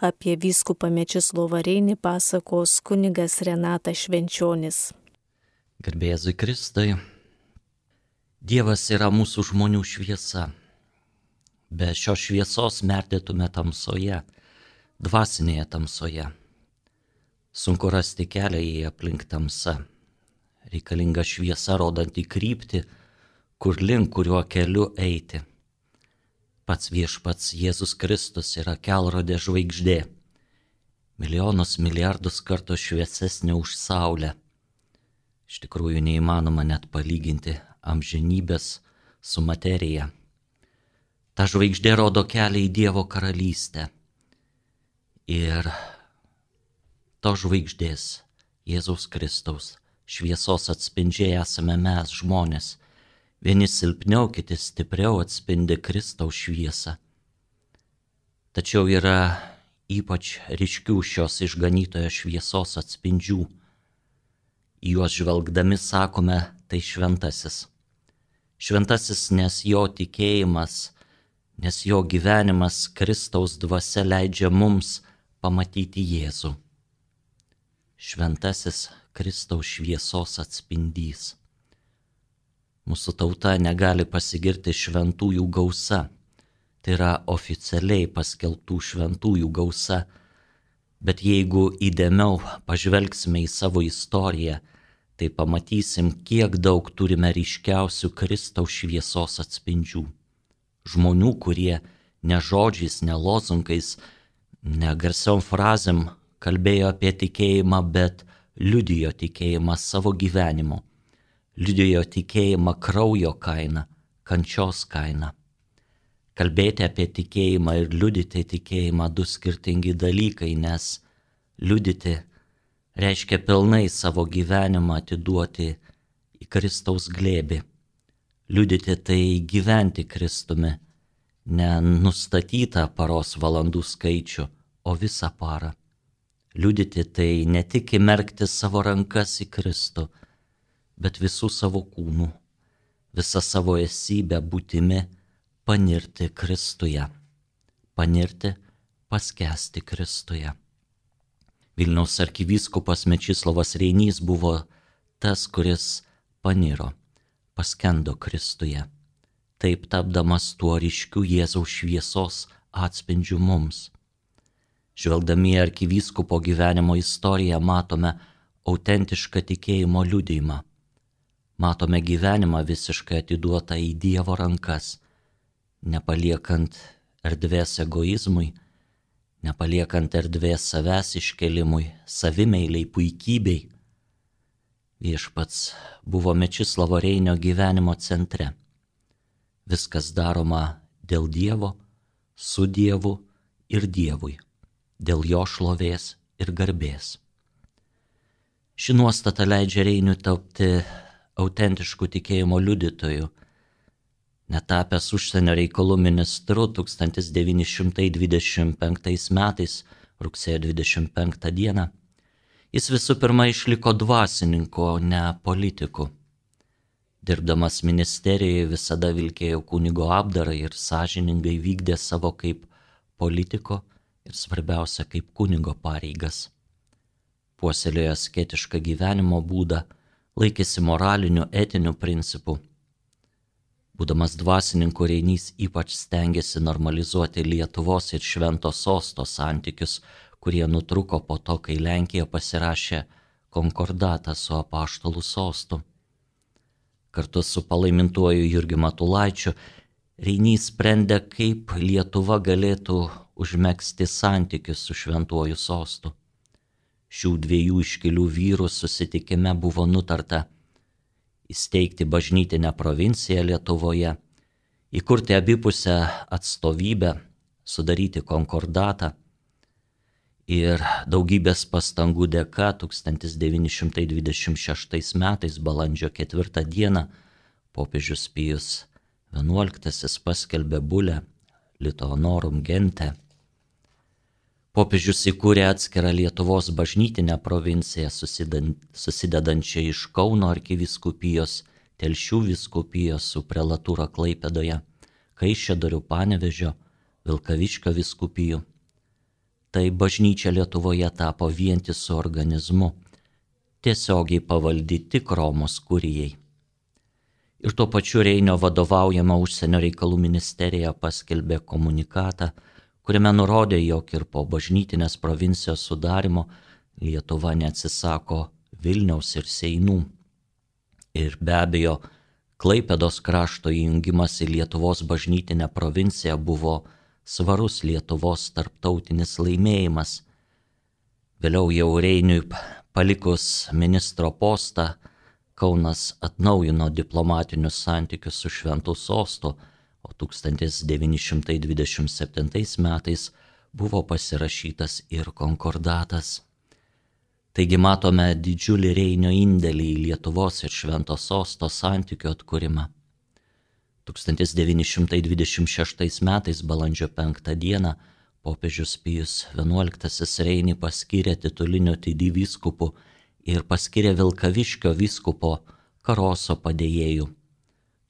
Apie vyskupą Mečislovą Reinį pasakos kunigas Renatas Švenčionis. Garbė Jėzui Kristui. Dievas yra mūsų žmonių šviesa. Be šios šviesos merdėtume tamsoje, dvasinėje tamsoje. Sunku rasti kelią į aplink tamsą. Reikalinga šviesa rodanti kryptį, kur link kuriuo keliu eiti. Pats viešpats Jėzus Kristus yra kelrodė žvaigždė, milijonus milijardus kartų šviesesnė už saulę. Iš tikrųjų neįmanoma net palyginti amžinybės su materija. Ta žvaigždė rodo kelią į Dievo karalystę. Ir to žvaigždės, Jėzaus Kristaus, šviesos atspindžiai esame mes žmonės. Vieni silpniau, kiti stipriau atspindi Kristaus šviesą. Tačiau yra ypač ryškių šios išganytojo šviesos atspindžių. Į juos žvelgdami sakome, tai šventasis. Šventasis, nes jo tikėjimas, nes jo gyvenimas Kristaus dvasia leidžia mums pamatyti Jėzų. Šventasis Kristaus šviesos atspindys. Mūsų tauta negali pasigirti šventųjų gausa. Tai yra oficialiai paskelbtų šventųjų gausa. Bet jeigu įdėmiau pažvelgsime į savo istoriją, tai pamatysim, kiek daug turime ryškiausių Kristaus šviesos atspindžių. Žmonių, kurie ne žodžiais, ne lozungais, ne garsiom frazėm kalbėjo apie tikėjimą, bet liudijo tikėjimą savo gyvenimu. Liudijo tikėjimą kraujo kaina, kančios kaina. Kalbėti apie tikėjimą ir liudyti tikėjimą du skirtingi dalykai, nes liudyti reiškia pilnai savo gyvenimą atiduoti į Kristaus glėbį. Liudyti tai gyventi Kristumi, ne nustatytą paros valandų skaičių, o visą parą. Liudyti tai ne tik įmerkti savo rankas į Kristų, bet visų savo kūnų, visą savo esybę būtimi panirti Kristuje, panirti, paskęsti Kristuje. Vilniaus arkivyskupas Mečislovas Reinys buvo tas, kuris paniro, paskendo Kristuje, taip tapdamas tuo ryškiu Jėzaus šviesos atspindžiu mums. Žvelgdami į arkivyskupo gyvenimo istoriją matome autentišką tikėjimo liudijimą. Matome gyvenimą visiškai atiduotą į Dievo rankas, nepaliekant erdvės egoizmui, nepaliekant erdvės savęs iškelimui, savimeiliai, puikybei. Viešpats buvo Mečislovo Reinio gyvenimo centre. Viskas daroma dėl Dievo, su Dievu ir Dievui, dėl jo šlovės ir garbės. Ši nuostata leidžia Reiniui tapti autentiškų tikėjimo liudytojų. Netapęs užsienio reikalų ministru 1925 metais, rugsėjo 25 dieną, jis visų pirma išliko dvasininku, o ne politiku. Dirbdamas ministerijoje visada vilkėjo kunigo apdarą ir sąžiningai vykdė savo kaip politiko ir svarbiausia kaip kunigo pareigas. Puoselėjo asketišką gyvenimo būdą, laikėsi moralinių, etinių principų. Būdamas dvasininku, Reinys ypač stengėsi normalizuoti Lietuvos ir Švento Sosto santykius, kurie nutruko po to, kai Lenkija pasirašė konkordatą su Apaštalų sostu. Kartu su palaimintuoju Jurgiu Matulaičiu Reinys sprendė, kaip Lietuva galėtų užmegzti santykius su Šventuoju sostu. Šių dviejų iškilių vyrų susitikime buvo nutarta įsteigti bažnytinę provinciją Lietuvoje, įkurti abipusę atstovybę, sudaryti konkordatą ir daugybės pastangų dėka 1926 metais balandžio 4 dieną popiežius Pijus XI paskelbė bulę Lito Honorum Gente. Popiežius įkūrė atskirą Lietuvos bažnytinę provinciją, susidedančią iš Kauno arkivyskupijos, Telšių vyskupijos su prelatūra Klaipėdoje, Kaišiadorių, Panevėžio, Vilkaviškio vyskupijų. tai bažnyčia Lietuvoje tapo vientisu organizmu, tiesiogiai pavaldi tik Romos kurijai. Ir tuo pačiu Reinio vadovaujama užsienio reikalų ministerija paskelbė komunikatą, kuriame nurodė, jog ir po bažnytinės provincijos sudarimo Lietuva neatsisako Vilniaus ir Seinų. Ir be abejo, Klaipėdos krašto įjungimas į Lietuvos bažnytinę provinciją buvo svarus Lietuvos tarptautinis laimėjimas. Vėliau jau Reiniui palikus ministro postą, Kaunas atnaujino diplomatinius santykius su Šventu sostu, o 1927 metais buvo pasirašytas ir konkordatas. Taigi matome didžiulį Reinio indėlį į Lietuvos ir Švento sosto santykių atkūrimą. 1926 metais balandžio 5 dieną popiežius Pijus XI Reinį paskyrė tituliniu vyskupu ir paskyrė Vilkaviškio vyskupo Karoso padėjėju.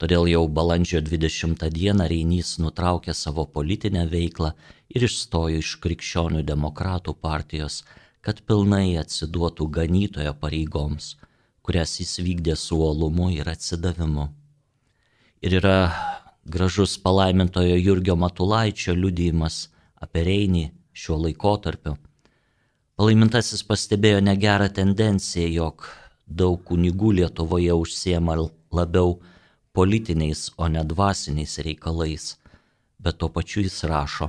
Todėl jau balandžio 20 dieną Reinys nutraukė savo politinę veiklą ir išstojo iš Krikščionių demokratų partijos, kad pilnai atsiduotų ganytojo pareigoms, kurias jis vykdė su uolumu ir atsidavimu. Ir yra gražus palaimintojo Jurgio Matulaičio liudijimas apie Reinį šiuo laikotarpiu. Palaimintasis pastebėjo negerą tendenciją, jog daug kunigų Lietuvoje užsiema labiau politiniais, o ne dvasiniais reikalais, bet tuo pačiu jis rašo: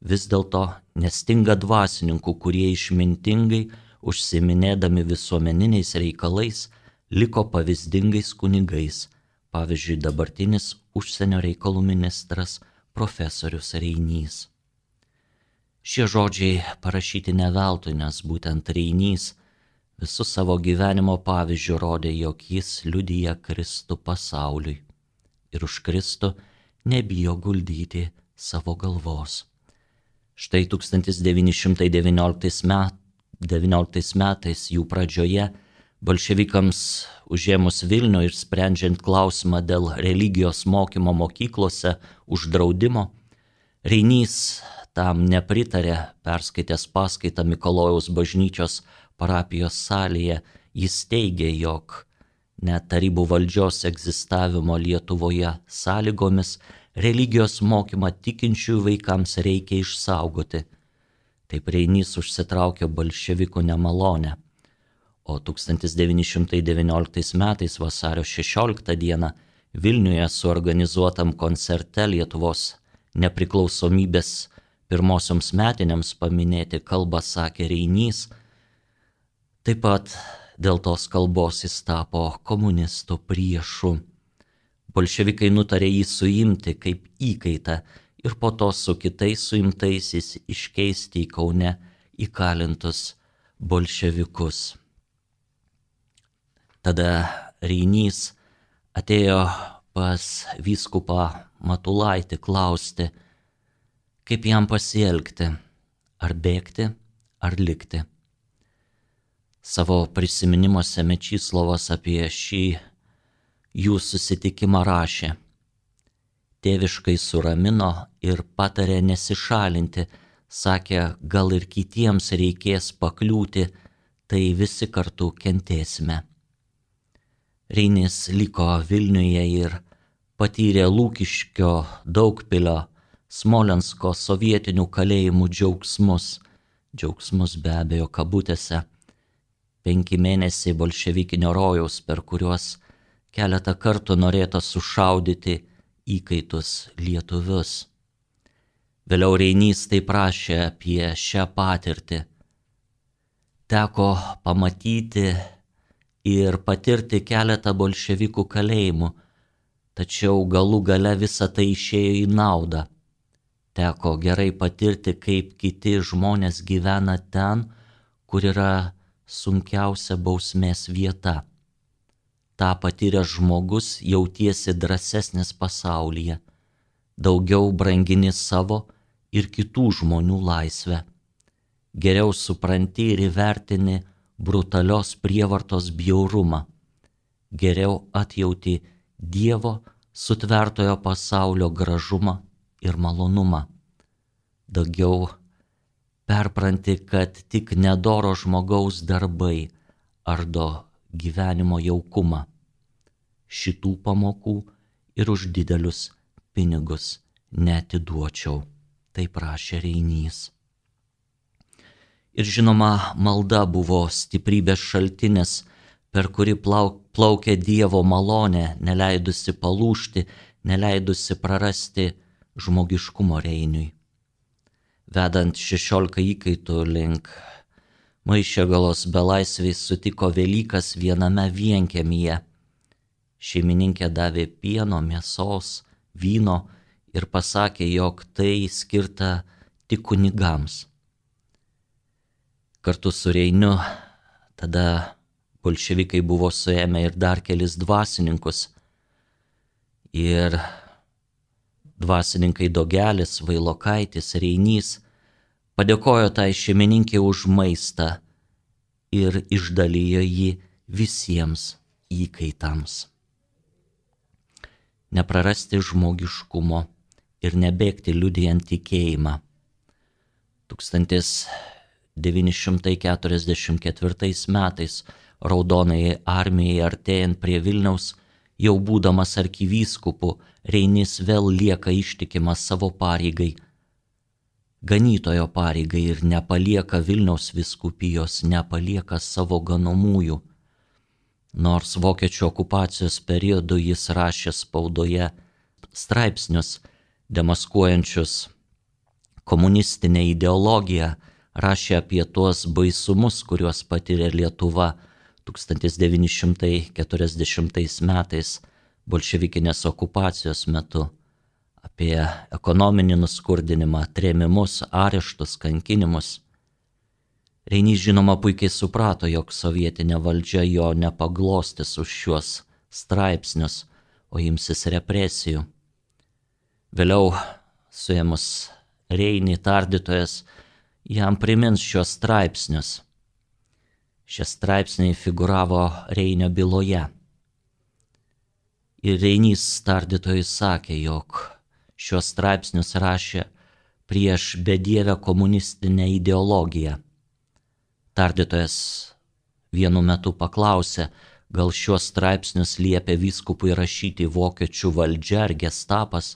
vis dėlto nestinga dvasininkų, kurie išmintingai užsiminėdami visuomeniniais reikalais liko pavyzdingais kunigais, pavyzdžiui dabartinis užsienio reikalų ministras profesorius Reinys. Šie žodžiai parašyti ne veltui, nes būtent Reinys visų savo gyvenimo pavyzdžių rodė, jog jis liudija Kristų pasauliui ir už Kristų nebijo guldyti savo galvos. Štai 1919 metais jų pradžioje bolševikams užėmus Vilnių ir sprendžiant klausimą dėl religijos mokymo mokyklose uždraudimo, Reinys tam nepritarė, perskaitęs paskaitą Mikalojaus bažnyčios parapijos salėje. Jis teigė, jog net tarybų valdžios egzistavimo Lietuvoje sąlygomis religijos mokymą tikinčiųjų vaikams reikia išsaugoti. Taip Reinys užsitraukė bolševikų nemalonę, o 1919 metais vasario 16 dieną Vilniuje suorganizuotam koncerte Lietuvos nepriklausomybės pirmosioms metinėms paminėti kalbą sakė Reinys. Taip pat dėl tos kalbos jis tapo komunistų priešu. Bolševikai nutarė jį suimti kaip įkaitą ir po to su kitais suimtaisiais iškeisti į Kaune įkalintus bolševikus. Tada Reinys atėjo pas vyskupą Matulaitį klausti, kaip jam pasielgti, ar bėgti, ar likti. Savo prisiminimuose Mečislovas apie šį jų susitikimą rašė: tėviškai suramino ir patarė nesišalinti, sakė, gal ir kitiems reikės pakliūti, tai visi kartu kentėsime. Reinis liko Vilniuje ir patyrė Lūkiškio, Daugpilio, Smolensko sovietinių kalėjimų džiaugsmus be abejo kabutėse, 5 mėnesiai bolševikinio rojaus, per kuriuos keletą kartų norėta sušaudyti įkaitus lietuvius. Vėliau Reinys taip rašė apie šią patirtį: teko pamatyti ir patirti keletą bolševikų kalėjimų, tačiau galų gale visa tai išėjo į naudą. Teko gerai patirti, kaip kiti žmonės gyvena ten, kur yra sunkiausia bausmės vieta. Ta patyręs žmogus jautiesi drąsesnis pasaulyje, daugiau brangini savo ir kitų žmonių laisvę. Geriau supranti ir įvertini brutalios prievartos bjaurumą. Geriau atjauti Dievo sutvertojo pasaulio gražumą ir malonumą. Daugiau perpranti, kad tik nedoro žmogaus darbai ardo gyvenimo jaukumą. Šitų pamokų ir už didelius pinigus neatiduočiau, taip prašė Reinys. Ir žinoma, malda buvo stiprybės šaltinis, per kurį plaukė Dievo malonė, neleidusi palūžti, neleidusi prarasti žmogiškumo Reiniui. Vedant 16 įkaitų link Maišiagalos belaisviais sutiko Velykas viename vienkiemyje. Šeimininkė davė pieno, mėsos, vyno ir pasakė, jog tai skirta tik kunigams. Kartu su Reiniu tada bolševikai buvo suėmę ir dar kelis dvasininkus. Ir dvasininkai Dogelis, Vailokaitis, Reinys padėkojo tai šeimininkė už maistą ir išdalijo jį visiems įkaitams. Neprarasti žmogiškumo ir nebėgti liudijant tikėjimą. 1944 metais Raudonajai armijai artėjant prie Vilniaus, jau būdamas arkivyskupu, Reinys vėl lieka ištikimas savo pareigai, ganytojo pareigai ir nepalieka Vilniaus vyskupijos, nepalieka savo ganomųjų. Nors vokiečių okupacijos periodu jis rašė spaudoje straipsnius demaskuojančius komunistinę ideologiją, rašė apie tuos baisumus, kuriuos patyrė Lietuva 1940 metais bolševikinės okupacijos metu, apie ekonominį nuskurdinimą, trėmimus, areštus, kankinimus. Reinys žinoma puikiai suprato, jog sovietinė valdžia jo nepaglostys už šiuos straipsnius, o imsis represijų. Vėliau, suėmus Reinį, tardytojas jam primins šios straipsnius. Šie straipsniai figuravo Reinio byloje. Ir Reinys tardytojui sakė, jog šios straipsnius rašė prieš bedievę komunistinę ideologiją. Tardytojas vienu metu paklausė, gal šios straipsnius liepė vyskupui rašyti vokiečių valdžia ar gestapas.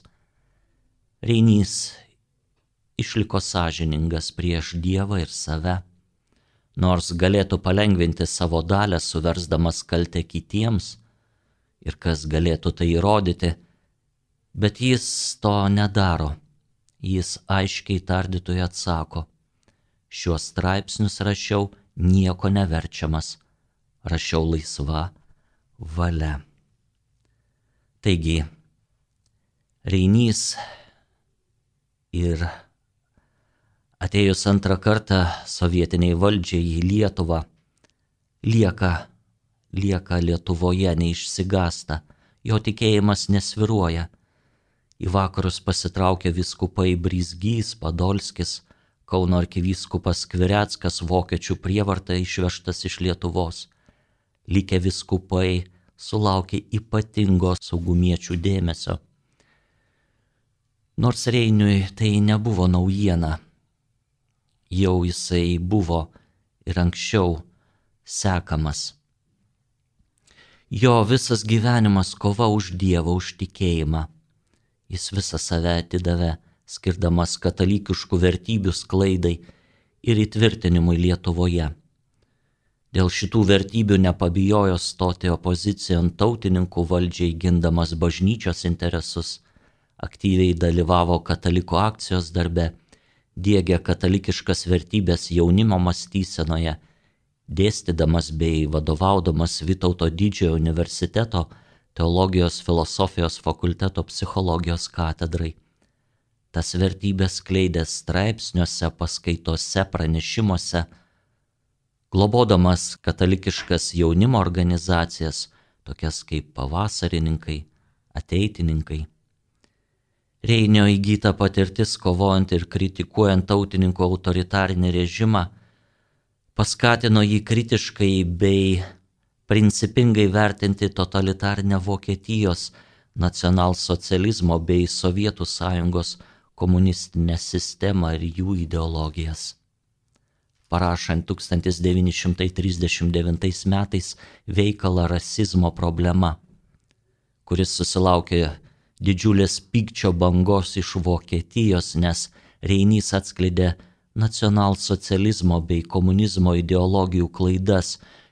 Reinys išliko sąžiningas prieš Dievą ir save, nors galėtų palengvinti savo dalią, suversdamas kaltę kitiems, ir kas galėtų tai įrodyti, bet jis to nedaro. Jis aiškiai tardytojui atsako, šiuos straipsnius rašiau nieko neverčiamas, rašiau laisva valia. Taigi, Reinys ir atėjus antrą kartą sovietiniai valdžiai į Lietuvą, lieka Lietuvoje, neišsigąsta, jo tikėjimas nesviruoja. Į vakarus pasitraukė vyskupai Brizgys, Padolskis, Kauno arkivyskupas Skvireckas, vokiečių prievarta išvežtas iš Lietuvos. Likę vyskupai sulaukė ypatingo saugumiečių dėmesio. Nors Reiniui tai nebuvo naujiena, jau jisai buvo ir anksčiau sekamas. Jo visas gyvenimas kova už Dievą, už tikėjimą. Jis visą save atidavė, skirdamas katalikiškų vertybių sklaidai ir įtvirtinimui Lietuvoje. Dėl šitų vertybių nepabijojo stoti opozicijon tautininkų valdžiai, gindamas bažnyčios interesus, aktyviai dalyvavo katalikų akcijos darbe, diegė katalikiškas vertybės jaunimo mąstysenoje, dėstydamas bei vadovaudamas Vytauto Didžiojo universiteto teologijos filosofijos fakulteto psichologijos katedrai. Tas vertybės skleidė straipsniuose, paskaitose, pranešimuose, globodamas katalikiškas jaunimo organizacijas, tokias kaip pavasarininkai, ateitininkai. Reinio įgyta patirtis kovojant ir kritikuojant tautininkų autoritarinį režimą paskatino jį kritiškai bei principingai vertinti totalitarinę Vokietijos, nacionalsocializmo bei Sovietų sąjungos komunistinę sistemą ir jų ideologijas. parašant 1939 metais veikalą Rasizmo problema, kuris susilaukė didžiulės pykčio bangos iš Vokietijos, nes Reinys atskleidė nacionalsocializmo bei komunizmo ideologijų klaidas,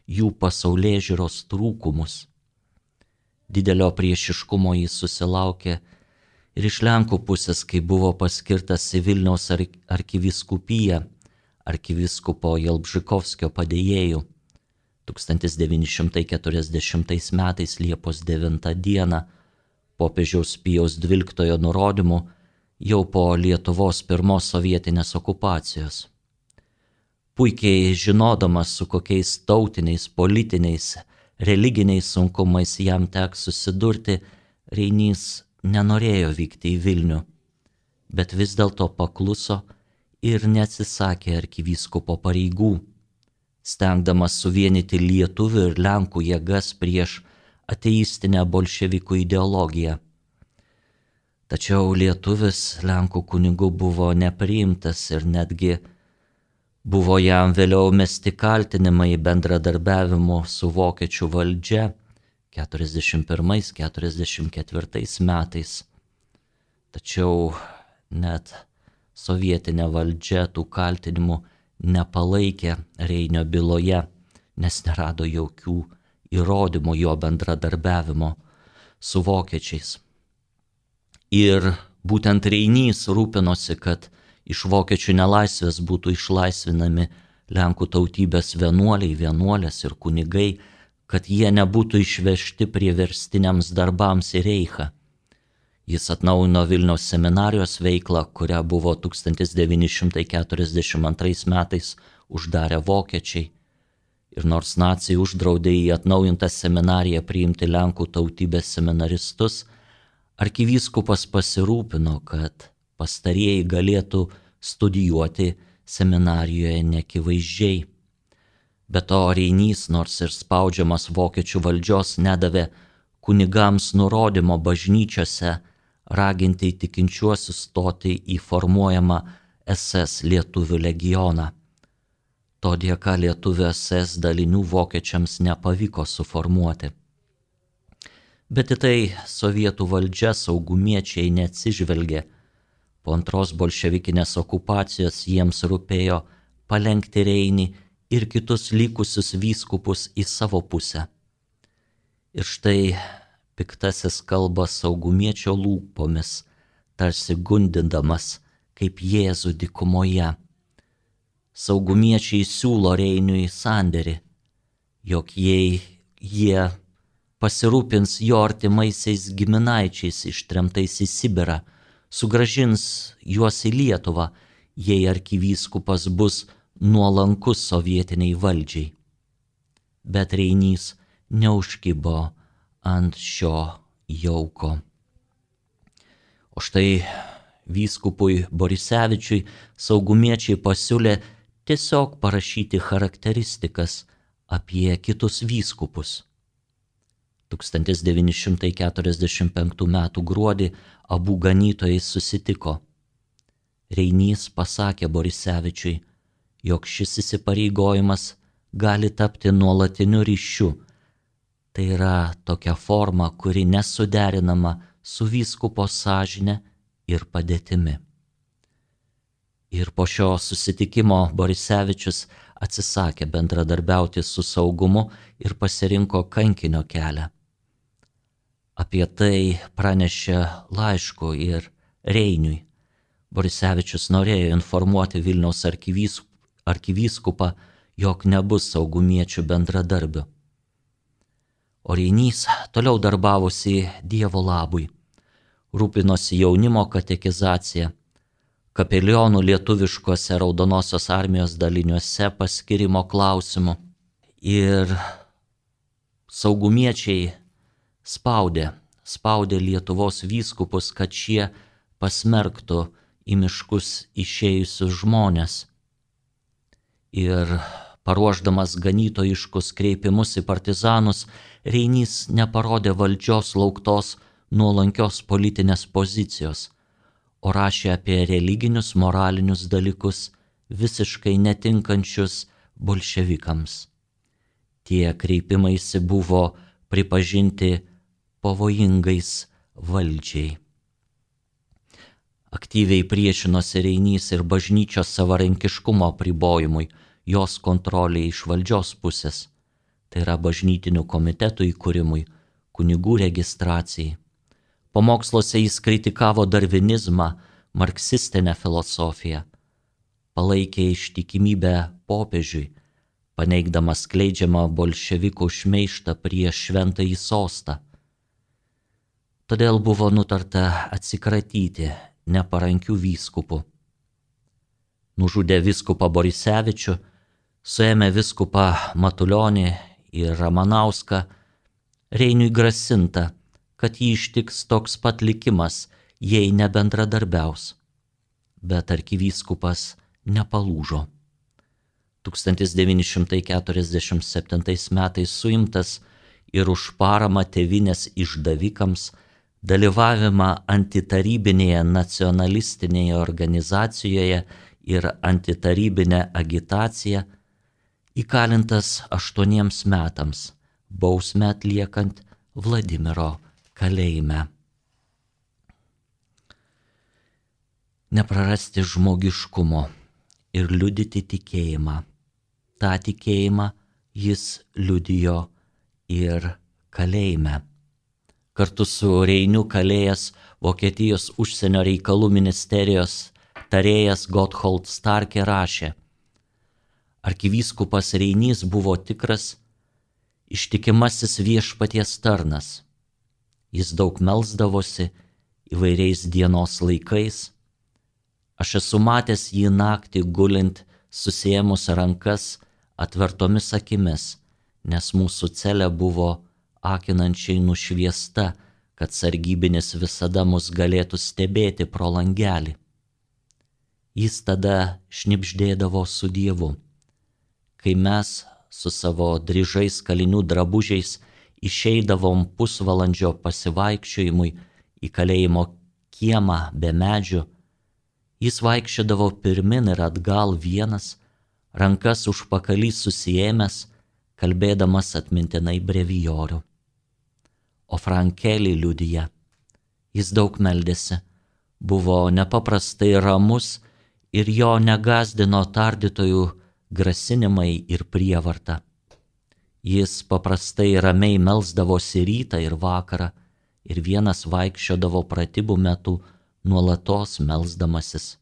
jų pasaulėžiūros trūkumus. Didelio priešiškumo jis susilaukė ir iš Lenkų pusės, kai buvo paskirtas į Vilniaus arkivyskupiją arkivyskupo Jalbžykovskio padėjėjų. 1940 metais Liepos 9 dieną popiežiaus Pijaus XII nurodymu jau po Lietuvos pirmos sovietinės okupacijos. Puikiai žinodamas, su kokiais tautiniais, politiniais, religiniais sunkumais jam teks susidurti, Reinys nenorėjo vykti į Vilnių, bet vis dėlto pakluso ir neatsisakė arkivyskupo pareigų, stengdamas suvienyti lietuvių ir lenkų jėgas prieš ateistinę bolševikų ideologiją. Tačiau lietuvis lenkų kunigų buvo nepriimtas ir netgi buvo jam vėliau mesti kaltinimai bendradarbiavimu su vokiečių valdžia 41-44 metais. Tačiau net sovietinė valdžia tų kaltinimų nepalaikė Reinio byloje, nes nerado jokių įrodymų jo bendradarbiavimo su vokiečiais. Ir būtent Reinys rūpinosi, kad iš vokiečių nelaisvės būtų išlaisvinami Lenkų tautybės vienuoliai, vienuolės ir kunigai, kad jie nebūtų išvežti priverstiniams darbams į Reichą. Jis atnaujino Vilniaus seminarijos veiklą, kurią buvo 1942 metais uždarę vokiečiai. Ir nors naciai uždraudė į atnaujintą seminariją priimti Lenkų tautybės seminaristus, arkivyskupas pasirūpino, kad pastarieji galėtų studijuoti seminarijoje neakivaizdžiai. Be to Reinys, nors ir spaudžiamas vokiečių valdžios, nedavė kunigams nurodymo bažnyčiose raginti tikinčiuosius stoti į formuojamą SS lietuvių legioną. To dėka lietuvių SS dalinių vokiečiams nepavyko suformuoti. Bet į tai sovietų valdžia saugumiečiai neatsižvelgė. Po antros bolševikinės okupacijos jiems rūpėjo palenkti Reinį ir kitus likusius vyskupus į savo pusę. Ir štai piktasis kalba saugumiečio lūpomis, tarsi gundindamas kaip Jėzų dykumoje. Saugumiečiai siūlo Reiniui sandėrį, jog jei jie pasirūpins jo artimaisiais giminaičiais ištremtais į Sibirą, sugrąžins juos į Lietuvą, jei arkivyskupas bus nuolankus sovietiniai valdžiai. Bet Reinys neužkibo ant šio jauko. O štai vyskupui Borisevičiui saugumiečiai pasiūlė tiesiog parašyti charakteristikas apie kitus vyskupus. 1945 m. gruodį abu ganytojai susitiko. Reinys pasakė Borisevičiui, jog šis įsipareigojimas gali tapti nuolatiniu ryšiu. Tai yra tokia forma, kuri nesuderinama su vyskupo sąžine ir padėtimi. Ir po šio susitikimo Borisevičius atsisakė bendradarbiauti su saugumu ir pasirinko kankinio kelią. Apie tai pranešė laišku ir Reiniui. Borisevičius norėjo informuoti Vilniaus arkivyskupą, jog nebus saugumiečių bendradarbių. O Reinys toliau darbavosi Dievo labui, rūpinosi jaunimo katekizacija, kapelionų lietuviškuose Raudonosios armijos daliniuose paskirimo klausimu. Ir saugumiečiai spaudė Lietuvos vyskupus, kad šie pasmerktų į miškus išėjusius žmonės. Ir paruošdamas ganytojiškus kreipimus į partizanus, Reinys neparodė valdžios lauktos nuolankios politinės pozicijos, o rašė apie religinius, moralinius dalykus, visiškai netinkančius bolševikams. Tie kreipimaisi buvo pripažinti pavojingais valdžiai. Aktyviai priešinosi Reinys ir bažnyčios savarankiškumo apribojimui, jos kontroliai iš valdžios pusės, tai yra bažnytinių komitetų įkūrimui, kunigų registracijai. Pamoksluose jis kritikavo darvinizmą, marksistinę filosofiją, palaikė ištikimybę popiežiui, paneigdamas skleidžiamą bolševikų šmeižtą prieš šventąjį sostą. Todėl buvo nutarta atsikratyti neparankių vyskupų. Nužudė vyskupą Borisevičių, suėmė vyskupą Matulionį ir Ramanauską, Reiniui grasinta, kad jį ištiks toks pat likimas, jei nebendradarbiaus. Bet arkivyskupas nepalūžo. 1947 metais suimtas ir už paramą tėvynės išdavikams, dalyvavimą antitarybinėje nacionalistinėje organizacijoje ir antitarybinę agitaciją, įkalintas 8 metams, bausmę atliekant Vladimiro kalėjime. Neprarasti žmogiškumo ir liudyti tikėjimą. Ta tikėjimą jis liudijo ir kalėjime. Kartu su Reiniu kalėjęs Vokietijos užsienio reikalų ministerijos tarėjas Gotthold Starke rašė: arkivyskupas Reinys buvo tikras, ištikimasis viešpaties tarnas. Jis daug melsdavosi įvairiais dienos laikais. Aš esu matęs jį naktį gulint, susiėmus rankas atvertomis akimis, nes mūsų celė buvo akinančiai nušviesta, kad sargybinis visada mus galėtų stebėti pro langelį. Jis tada šnibždėdavo su Dievu. Kai mes su savo dryžais kalinių drabužiais išeidavom pusvalandžio pasivaikščiojimui į kalėjimo kiemą be medžių, jis vaikščiodavo pirmin ir atgal vienas, rankas užpakalį susiėmęs, kalbėdamas atmintinai brevijorių. O Frankelį liudija: jis daug meldėsi, buvo nepaprastai ramus ir jo negazdino tardytojų grasinimai ir prievarta. Jis paprastai ramiai melsdavosi rytą ir vakarą ir vienas vaikščiodavo pratybų metu nuolatos melsdamasis.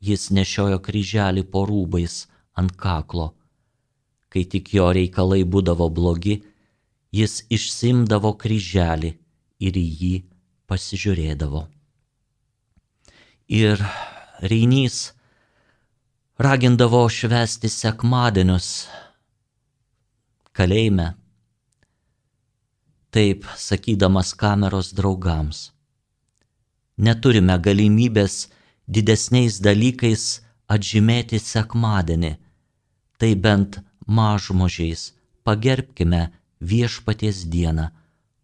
Jis nešiojo kryželį po rūbais ant kaklo. Kai tik jo reikalai būdavo blogi, jis išsiimdavo kryželį ir į jį pasižiūrėdavo. Ir Reinys ragindavo švęsti sekmadienius kalėjime, taip sakydamas kameros draugams: neturime galimybės didesniais dalykais atžymėti sekmadienį, tai bent mažmožiais pagerbkime viešpaties dieną,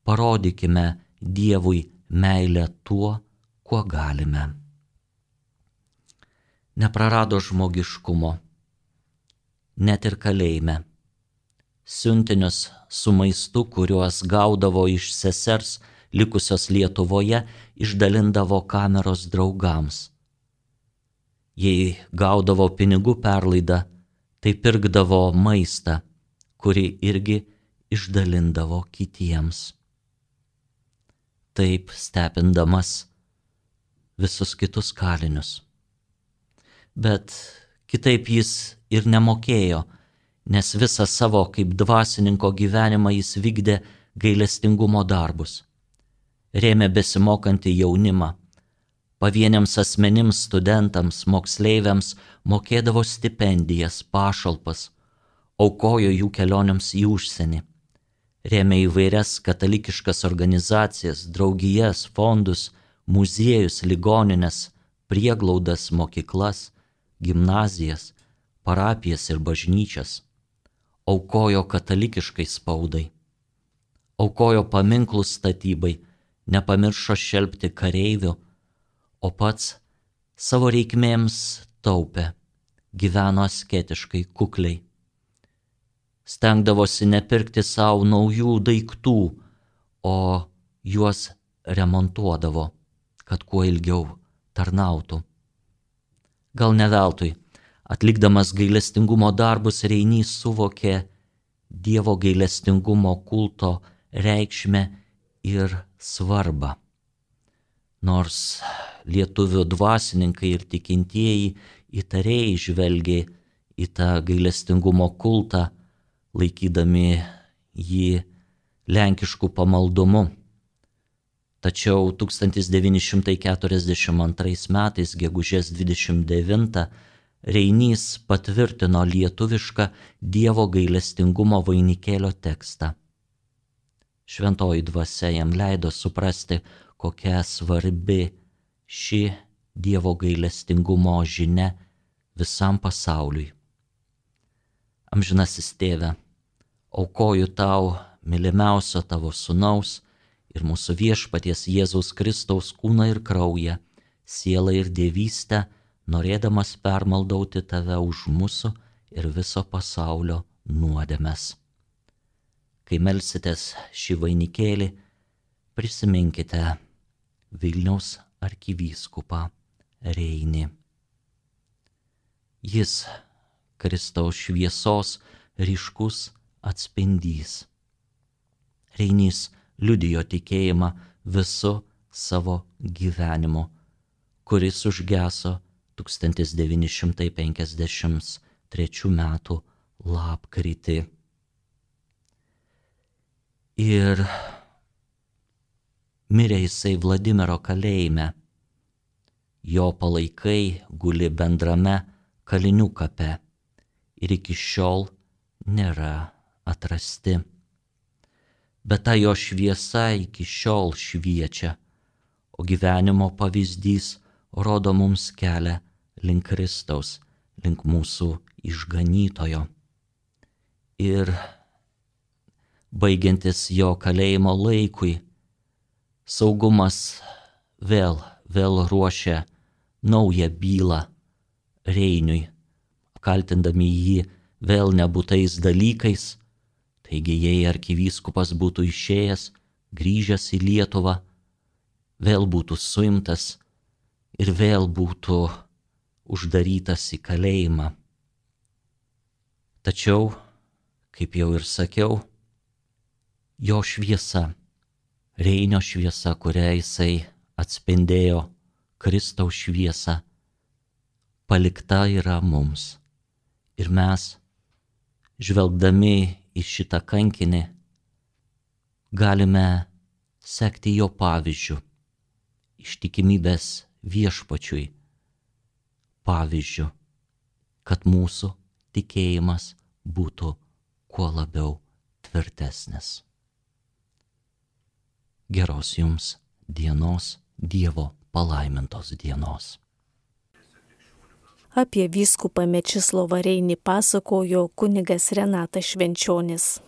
parodykime Dievui meilę tuo, kuo galime. Neprarado žmogiškumo, net ir kalėjime. Siuntinius su maistu, kuriuos gaudavo iš sesers likusios Lietuvoje, išdalindavo kameros draugams. Jei gaudavo pinigų perlaidą, tai pirkdavo maistą, kurį irgi išdalindavo kitiems. Taip stebindamas visus kitus kalinius. Bet kitaip jis ir nemokėjo, nes visą savo kaip dvasininko gyvenimą jis vykdė gailestingumo darbus. Rėmė besimokantį jaunimą. Pavieniams asmenims, studentams, moksleiviams mokėdavo stipendijas, pašalpas, aukojo jų kelionėms į užsienį. Rėmė įvairias katalikiškas organizacijas, draugijas, fondus, muziejus, ligonines, prieglaudas, mokyklas, gimnazijas, parapijas ir bažnyčias. Aukojo katalikiškai spaudai. Aukojo paminklų statybai, nepamiršo šelpti kareivių, o pats savo reikmėms taupė gyveno asketiškai, kukliai. Stengdavosi nepirkti savo naujų daiktų, o juos remontuodavo, kad kuo ilgiau tarnautų. Gal ne veltui, atlikdamas gailestingumo darbus, Reinys suvokė Dievo gailestingumo kulto reikšmę ir svarbą. Nors lietuvių dvasininkai ir tikintieji įtariai žvelgė į tą gailestingumo kultą, laikydami jį lenkišku pamaldumu. Tačiau 1942 metais, gegužės 29, Reinys patvirtino lietuvišką Dievo gailestingumo vainikėlio tekstą. Šventoji dvasia jam leido suprasti, kokia svarbi ši Dievo gailestingumo žinia visam pasauliui. Amžinasis Tėve, aukoju tau mylimiausio tavo sūnaus ir mūsų viešpaties Jėzaus Kristaus kūną ir kraują, sielą ir dievystę, norėdamas permaldauti tave už mūsų ir viso pasaulio nuodėmes. Kai melsitės šį vainikėlį, prisiminkite Vilniaus arkivyskupą Reinį. Jis Kristaus šviesos ryškus atspindys. Reinys liudijo tikėjimą visu savo gyvenimu, kuris užgeso 1953 metų lapkritį. Ir mirė jisai Vladimiro kalėjime. Jo palaikai guli bendrame kalinių kape ir iki šiol nėra atrasti. Bet ta jo šviesa iki šiol šviečia, o gyvenimo pavyzdys rodo mums kelią link Kristaus, link mūsų išganytojo. Ir baigiantis jo kalėjimo laikui, saugumas vėl ruošia naują bylą Reiniui, kaltindami jį vėl nebūtais dalykais. Taigi, jei arkivyskupas būtų išėjęs, grįžęs į Lietuvą, vėl būtų suimtas ir vėl būtų uždarytas į kalėjimą. Tačiau, kaip jau ir sakiau, jo šviesa, Reinio šviesa, kurią jisai atspindėjo Kristaus šviesą, palikta yra mums. Ir mes, žvelgdami į šitą kankinį, galime sekti jo pavyzdžiu, ištikimybės viešpačiui pavyzdžiu, kad mūsų tikėjimas būtų kuo labiau tvirtesnis. Geros jums dienos, Dievo palaimintos dienos. Apie vyskupą Mečislovą Reinį pasakojo kunigas Renatas Švenčionis.